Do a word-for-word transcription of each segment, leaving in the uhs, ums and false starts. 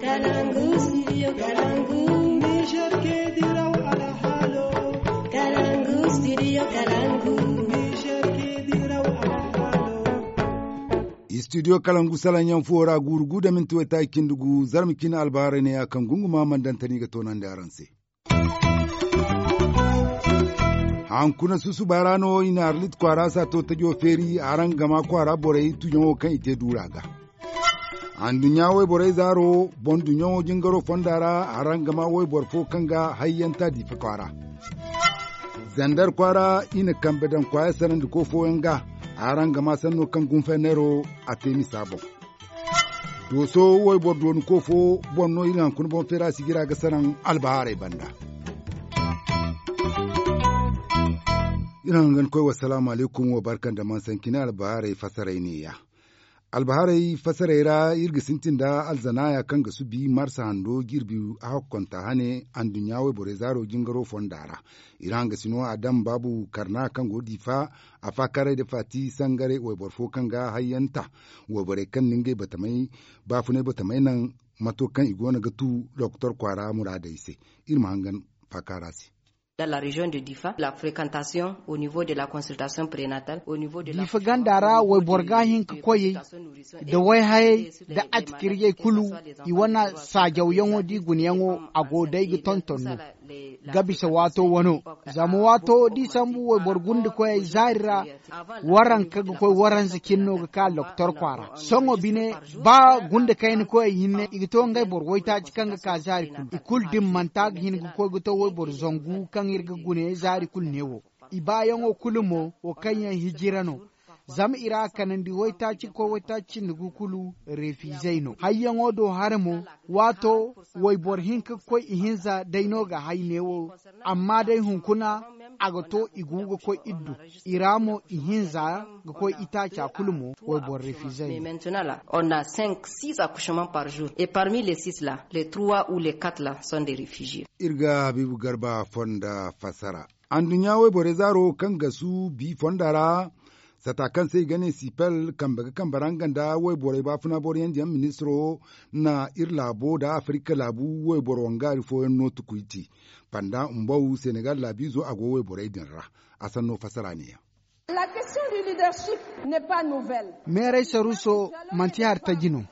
Kalangu, studio Kalangu. Niger ke diraw alhalo. Kalangu, studio Kalangu. Niger ke diraw alhalo. Studio Kalangu salaŋ yaŋ fuwo ra guuru gu da minti waytaaci cindi gu, zarma cine albaharay ne ya kaŋ gunguma mandantani ga toonandi araŋ se. Hankuna susuba ra no i na Arlit kwaara saato tajo feeri araŋ gama kwaara borey tujaŋo kaŋ i te duura ga. Anduɲɲa wayborey zaaro boŋ duɲɲaŋo jingaro fonda ra araŋ gama wayboro fo kaŋ ga hayyanta Diifa kwaara. Zandar kwaara i na kambe daŋ kwaaya sanandiko fooyaŋ ga araŋ gama sanno kaŋ gunfeneero a te misa boŋ. Dooso wayboro dooniko fo boŋ no iri hankuna boŋ feera sigira ga sanaŋ albahaarey banda. Iri hangan koy wassalaamu alaykum wa barka nda mansancine albahaarey fasaray neeya. Albahaarey fasaray ra iri ga sintin nda alzanaaya kaŋ ga subi marsa hando jirbi hakkonta hane anduɲɲa wayborey zaaro jingaro fonda ra. Iri hangasino adam baabu karna kaŋ go Diifa a faakaaray nda faati sangare wayboro fo kaŋ ga hayyanta wayborey kaŋ na ngey batamay baafunay batamay naŋ mato kaŋ i go no ga tu doktor kwaara muraadey se. Iri ma hangan faakaara se. Dans la région de Difa la fréquentation au niveau de la consultation prénatale au niveau de la. Diifa ganda ra wayboro ga hin ka koy da wayhayey da atikirjey kulu i wane saajawyaŋo da i gunayaŋo a go day ga tonton no ga bisa waato wano. Zama waato da i sambu wayboro gundikoyey zaari ra waranka ga koy waranza cine no ga ka doktor kwaara sohõ bine. Ba gunda kayna koyey hinne i ga to ngey boro waytaaci kaŋ ga ka zaari kulu i kulu dimmanta ga hin ga koy ga to wayboro zangu kaŋ iri ga gune zaari kulu ne wo. I baayaŋo kulu mo wo kaŋ yaŋ hijira no. Zama i ra kanandi waytaaci ga koy waytaaci cindi gu kulu refizey no hayyaŋo do hare mo. Waato wayboro hinka ga koy ihinza day no ga hay neewo. Amma day hunkuna a ga to i gu ga koy iri du i ra mo ihinza ga koy itaaca kulu mo wayboro refizey no. Maintenant là on a cinq six accouchements par jour et parmi les six là les trois ou les quatre là sont des réfugiés. Iri ga habiibu garba fonda fassara. Anduɲɲa wayborey zaaro kaŋ ga su bi fonda ra sata kaŋ se i ga ne sipel kambe ga kambe ra nga nda wayborey baafuna boroyandiyaŋ ministiro na iri laabo nda afirika laabu wayboro wangaari fooyaŋ no tukuy te. Banda mbaw senegal laabiizo a go wayborey din ra. A sanno fassara neeya. Meeray saruuso manti hari taji no.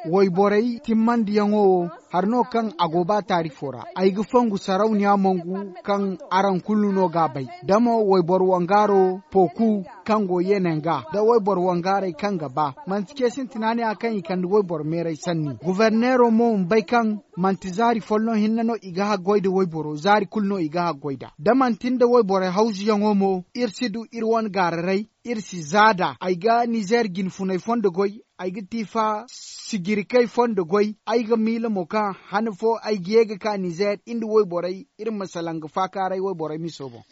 Wayborey timmandiyaŋo wo hari no kaŋ a go ba taarifo ra ay ga fongu sarauniya mongu kaŋ araŋ kulu no ga a bay da mo wayboro wangaaro pooku kaŋ go yeenaŋ ga nda wayboro wangaarey kaŋ ga ba manti ce sintina ne ya kaŋ i kande wayboro meeray sanni goforneero mo ma bay kaŋ manti zaari folloŋ hinne no i ga haggoy nda wayboro zaari kulu no i ga haggoy nd'a da manti nda wayborey hawzuyaŋo mo iri si du iri wane gaararay. Iri si za nd'a ay ga nizeer jinfuney fondo goy ay ga tiifa sijirikey fondo goy ay ga miila mo kaŋ han fo ay ga ye ga ka nizeer iri nda wayborey iri ma salaŋ ga faakaaray wayborey miso boŋ.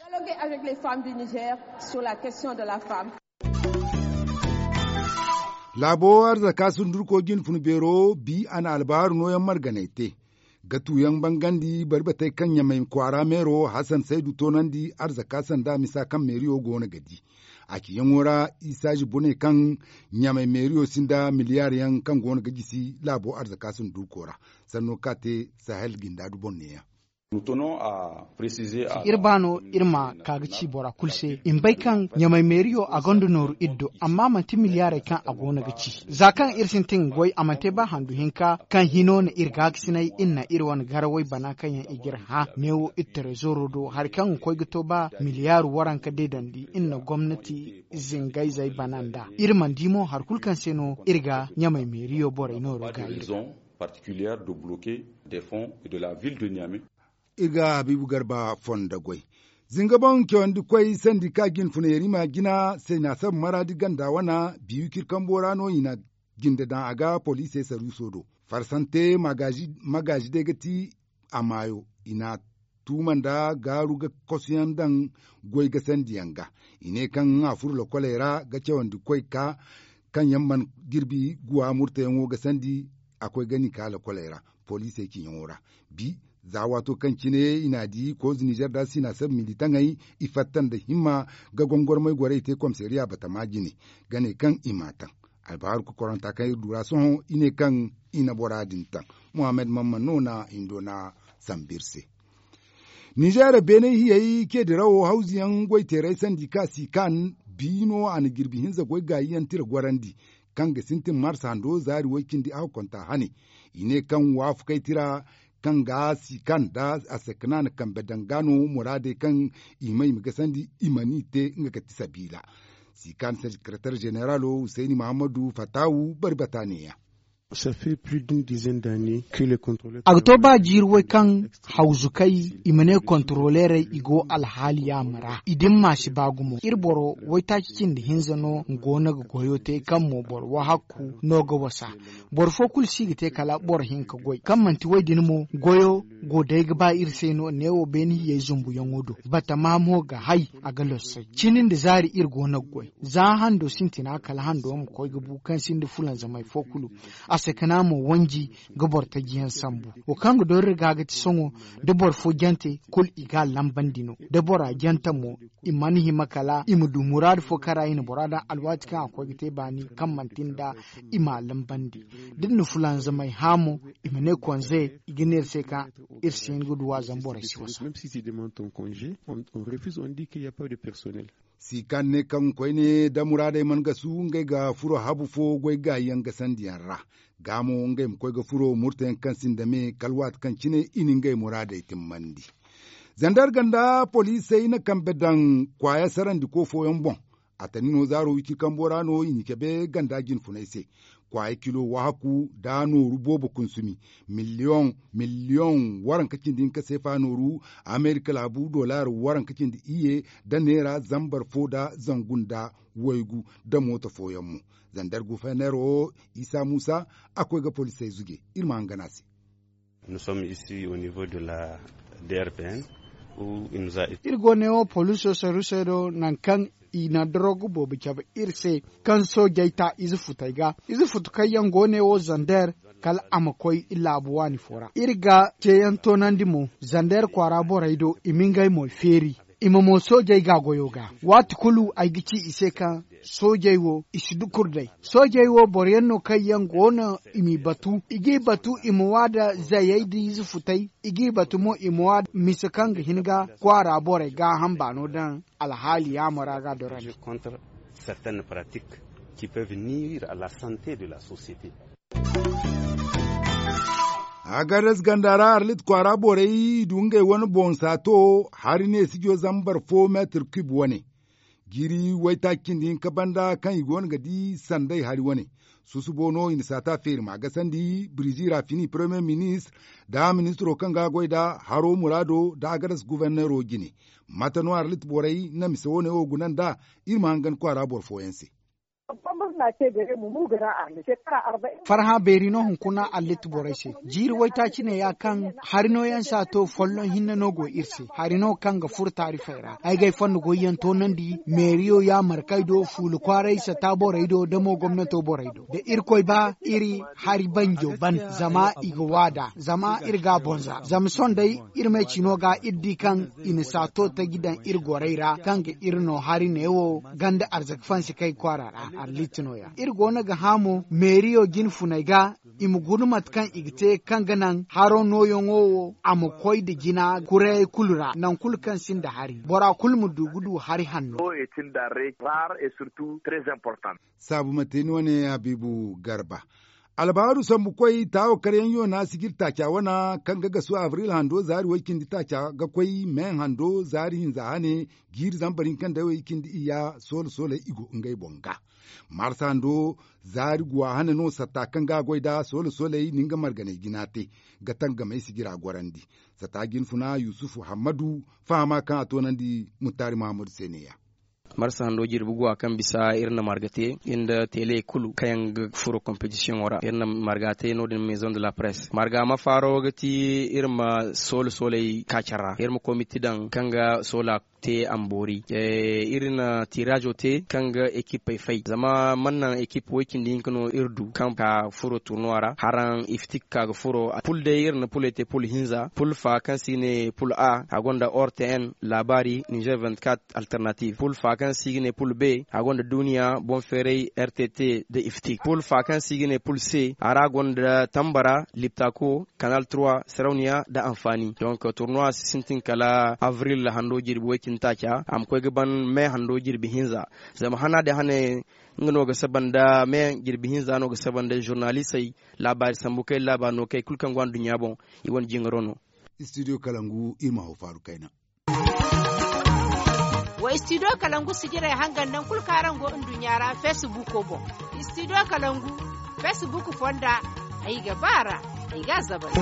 Laabo arzaka sundurko jinfun beero bi a na albahaaru nooyaŋ marganay te. Gatuyaŋ bangandi bari batey kaŋ ɲamay kwaara meero hasan saydu toonandi arzaka sanda misa kaŋ meeriyo go no ga di. A ciyaŋo ra isa zibo ne kaŋ ɲamay meeriyo sinda miliyaar yaŋ kaŋ go no ga jisi laabo arzaka sundurko ra. Sanno ka te sahel jinda du boŋ neeyaŋ. Iri ba no iri ma ka ga ci bora kulu se i ma bay kaŋ ɲamay meeriyo a gonda nooru iri do amma manti miliyaarey kaŋ a go no ga ci. Za kaŋ iri sintin ga goy a mana te ba handu hinka kaŋ hino no iri gaakasinay iri na iri wane garawey bana kaŋ yaŋ i ga iri hã neewo iri terezooro do hari kaŋ ga koy ga to ba miliyaaru waranka deedandi iri na gomnati zingayzey bana nd'a. Iri mana di mo hari kulu kaŋ se no iri ga ɲamay meeriyo borey nooro gaayir ga. Particulière de bloquer des fonds et de la ville de Niamey. Iri ga habiibu garba fondo goy. Zinga boŋ cawandi koy sandi ka jinfunay rima jina se na sabu maraadi ganda wana biiwi kirkambo ra no i na jinde daŋ a ga poliisey saruuso do. Farsante magaazi day ga ti a maayo i na tuuma nda gaaru ga kosuyaŋ daŋ goy ga sandiyaŋ ga. I ne kaŋ a furo lokoley ra ga cawandi koy ka kaŋ yaŋ mana jirbi guwa murtayaŋo ga sandi a koy ga ni ka lokoley ra poliisey ciyaŋo ra. Bi za waato kaŋ cine i n'a di koozu nizer da si n'a sabu militaŋey i fatta nda himma ga gongormay gorey te komisariya batama jine ga ne kaŋ i m'a taŋ. Albahaaru kokoranta kaŋ iri du ra sohõ i ne kaŋ i na bora din taŋ. Muhammad Mamman no na hindo na sambu iri se. Ninzeer beene hiyey ce dirawo hawzuyaŋ goy teeray sandi ka si kan bi no a na jirbi hinza goy gaayi yaŋ tira gorandi, kaŋ ga sintin marsa hando zaari way cindi a ga konta hane. I ne kaŋ waafakay tira kaŋ ga si kan nda a se kana na kambe danga no muraadey kaŋ i ma i ma gasandi i ma ni te nga ga ti sabiila. Si kan sekaratar zeneralo husayni mahammadu fatawu bari bata neeya. A ga to ba jiiri way kaŋ hawzukey i ma ne kontarolerey i go alhaali yaama ra i din ma si ba gumo iri boro waytaaci cindi hinza no go no ga goyo te kaŋ mo boro wahakku no ga wasa. Boro fo kulu si ga te kala boro hinka goy kaŋ manti way din mo goyo go day ga ba iri se no neewo beene hiyey zumbuyaŋo do batama mo ga hay a ga lossay cini nda zaari iri go no ga goy za hando sintina kala hando ma koy ga bu kaŋ sinda fulanzamay fo kulu. A se kana mo wanji ga boro taji yaŋ sambu wo kaŋ ga doori ga ga ti sohõ da boro fo jante kulu i ga a lambandi no da bora jante mo i mana hima kala i ma du muraadu fo kaŋ ra i na bora daŋ alwaati kaŋ a koy ga te baani kaŋ manti nda i ma a lambandi. Da ni na fulanzamay hã mo i ma ne konze i ga ne iri se kaŋ iri si hin ga du a zama borey si wasa. Si kaŋ ne kaŋ koyne da muraadey mana gasu ngey ga furo habu fo goy gaayi yaŋ gasandiyaŋ ra ga mo ngey ma koy ga furo murtayaŋ kaŋ sinda me kala waati kaŋ cine i na ngey muraadey timmandi. Zandar ganda poliisey na kambe daŋ kwaaya sarandiko fooyaŋ boŋ. A tani no zaaro wiciri kambo ra no i na cabe ganda jinfunay se. Kwaaya kilo wahakku da nooru boobo kunsumi miliyoŋ miliyoŋ waranka cindi hinka seefa nooru amerika laabu dolar waranka cindi iyye da neera zambar fo da zangu nda waygu da mooto fooyaŋ mo. Zandar gufernero isa muusa a koy ga poliisey zuje iri ma hangan a se. Iri go neewo poliiso saruusey do nangu kaŋ i na dorogu boobo cabe iri se kaŋ soojey ta ize futey ga ize futu kaŋ yaŋ go neewo zander kala a ma koy laabu waani fo ra iri ga ceeyaŋ toonandi mo zander kwaara borey do i ma ngey moy feeri. I ma mo soojey ga goyo ga waati kulu ay ga ci i se kaŋ soojey wo i si dukur day. Soojey wo boro yaŋ no kaŋ yaŋ go no i m'i batu i g'i batu i ma wa nda zayey da ize futey i g'i batu mo i ma wa nda mise kaŋ ga hin ga kwaara borey gaaham baano daŋ alhaali yaamo ra ga dorandi. Agares ganda ra arlit kwaara borey i du ngey wane boŋ saato hari ne sijo zambar fo meetir kib wane. Jiiri waytaaci cindi hinka banda kaŋ i goono ga di sanday hari wane. Susubo no i na saata feeri ma gasandi birizi rafini paramiyer ministir nda ministiro kaŋ ga a goy nda haro muraado nda agares guverneero jine. Mate no arlit borey na mise wane wo guna nd'a? Iri ma hangan kwaara boro fooyaŋ se. Farhã beeri no hunkuna allit borey se. Jiiri waytaaci ne ya kaŋ hari nooyaŋ saato folloŋ hinne no go iri se hari no kaŋ ga furo taarifey ra ay ga ay fondo goyyaŋ toonandi meeriyo yaamarkey do fuula kwaaray sata borey do da mo gomnato borey do da irkoy ba iri hari banjo ban. Zama i ga waada zama iri ga a boŋ za zama sohõ day iri me cino ga iri di kaŋ i na saato taji daŋ iri gorey ra kaŋ ga iri no hari neewo ganda arzaka fansi kay kwaara ra arlit nooya iri go no ga hã mo meeriyo jine funey ga i ma guna mate kaŋ i ga te kaŋ ga naŋ haro nooyaŋo wo a ma koy nda jina kurayey kulu ra nangu kulu kaŋ sinda hari bora kulu ma du ga du hari hanno. Saabu ma te ni wane habiibu garba. Albaharu sambukoy taawa karyaŋ yoona sigir taaca wana kaŋ ga gasu abril hando zaari way cindi taaca ga koy me hando zaari hinza hane jiiri zambar hinka nda way cindi iyya soola sooley i go ngey boŋ ga. Marsa hando zaari guwa hane no satta kaŋ ga a goy nda soola sooley na nga marganey jina te ga tangamey sigira gorandi. Satta jinfuna yusufu hammadu fahama kaŋ a toonandi muttaari mahammadu se neeya. Marsa hando jirbi guwa kaŋ bisa iri na marga te iri nda tele kulu kaŋ yaŋ ga furo kompetisiyoŋo ra iri na marga te no- din maison de la presse marga ma faaro ga ti iri ma soole sooley kaacar ra iri ma komiti daŋ kaŋ ga soola. te a ma boori. Iri na tiraazo te kaŋ ga ekipey fay zama mana naŋ ekip way- cindi hinka no iri du kaŋ ka furo turnuwa ra haraŋ iftik ka ga furo pul day iri na puley te pul hinza pul fa kaŋ se i ga ne pul a a gonda ortn laabaari nizer vingt-quatre alternative pul fa kaŋ se i ga ne pul b a gonda duuniya boŋ feeray rtt nda iftik pul fa kaŋ se i ga ne pul c a ra gonda tambara liptako kanal trois sarauniya nda anfaani donk turnuwa si sintin kala avril hando jirbi way- cindi taaca a ma koy ga ban me hando jirbi hinza zama hana din hane nga no ga saba nda me jirbi hinza no ga saba nda zurnalisey laabaari sambu kay laabaari no kay kulu kaŋ go a nduɲɲa boŋ i wane jingaro no. Istidiyo kalangu iri ma haw faaru kayna. Wa istidiyo kalangu sijirey hangan nangu kulu kaŋ araŋ go nduɲɲa ra feesibuuko boŋ. Istidiyo kalangu feesibuuk fonda ay ga ba a ra ay ga a zabari.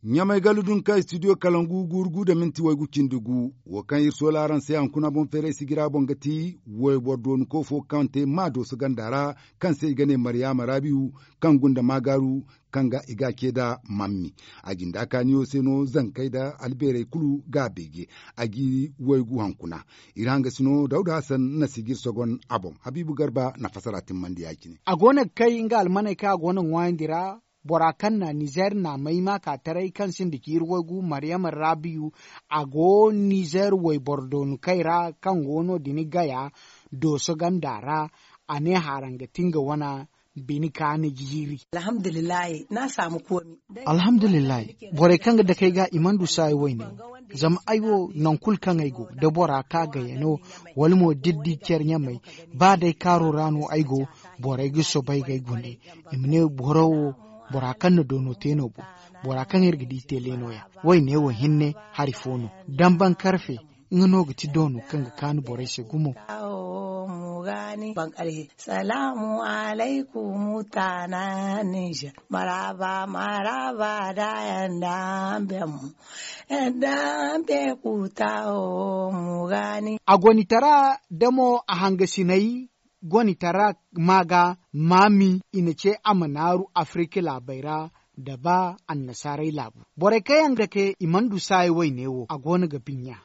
Ɲamay gala dunka istidiyo kalangu guuru gu nda minti waygu cindi gu wo kaŋ iri soola araŋ se hankuna boŋ feeray sijira boŋ ga ti wayboro dooniko fo kaŋ te maa dooso ganda ra kaŋ se i ga ne maryaama raabiyu kaŋ gunda maagaaru kaŋ ga i ga a ce nda mammi. A jinda kaaniyo se no zankey nda albeerey kulu ga a beeje a g'i waygu hankuna. Iri hangasi no dawda hasan na si ga iri sogon a boŋ habiibu garba na fasara timmandi ya- cine. A go no ga kay nga almaney kaŋ a go no ga ŋwaayandi ra bora kaŋ na nizer naamay maakaataray kaŋ sinda ciiri waygu maryama raabiyu a go nizer wayboro doonukey ra kaŋ go no- din gaya dooso ganda ra. A ne haaraŋ ga ti nga wane bine kaani jiiri. Alhamdulillahi n'a saamu koomi. Alhamdulillahi borey kaŋ ga dake ay ga i mana du saayi wayne. Zama ay wo nangu kulu kaŋ ay go da bora ka gayano wala mo da iri di care ɲamey ba day kaaro ra no ay go. Borey ga soobay ga ay gune i ma ne boro wo bora kaŋ na doono te no bo bora kaŋ iri ga di tele no- ya wayne wo hinne hari fo no. Damban karfe nga no ga ti doono kaŋ ga kaanu borey se gumo. Salaamu alaykum taana ninzeer marhaba marhaba da yanda. Bemmo yanda be kuta wo mu gaani. A gonitara da mo a hangasinay gonitara ma ga maami i na ce a ma naaru afirika laabey ra da ba annasaarey laabu. Borey kaŋ yaŋ ga te i mana du saaya wayne wo a go no ga binya.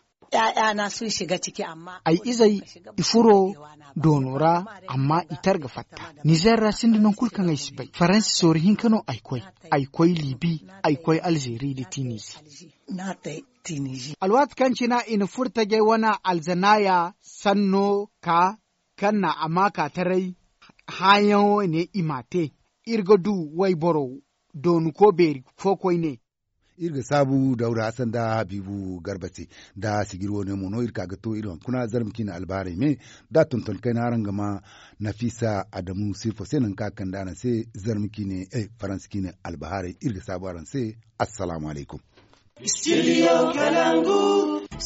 Ay izey i furo doono ra amma i tar ga fatta. Nizer ra sinda nangu kulu kaŋ ay si bay faransi soori hinka no ay koy. Ay koy libi ay koy alzeeri nda tinizi. Alwaati kaŋ cina i na furo tajey wane alzanaaya sanno ka kaŋ na a maakaataray hããyaŋo ne i m'a te. Iri ga du wayboro doonuko beeri fo koyne. Iri ga saabu dawda hasan nda habiibu garba te nda sijiri wane mo no iri ka ga to iri hunkuna zarma ciine albahaarey me da tonton kayna araŋ ga ma nafiisa adamu sirfo se nangu kaŋ a kande araŋ se. Zarma ciine faransa ciine albahaarey iri ga saabu araŋ se. Assalaamu alaykum. Studio kalangu.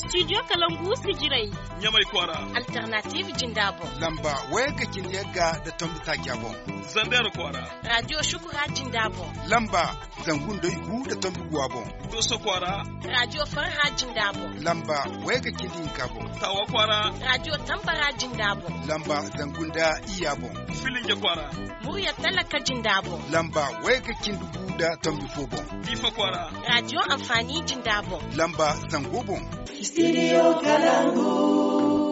Studio kalangu sijirey ɲamay kwaara. Alternative jinda boŋ. Lamba wayga cindi yagga nda tombi taaca boŋ. Zandera kwaara. Radio shukura jinda boŋ. Lamba zangu nda igu nda tombi guwa boŋ. Dooso kwaara. Radio farha jinda boŋ. Lamba wayga cindi hinka boŋ. Taawa kwaara. Radio tambara jinda boŋ. Lamba zangu nda iyya boŋ. Filinge kwaara. Murya talaka jinda boŋ. Lamba wayga cindi gu nda tombi fo boŋ. Diifa kwaara. Radio anfaani jinda boŋ. Lamba zango boŋ. Studio kalangu.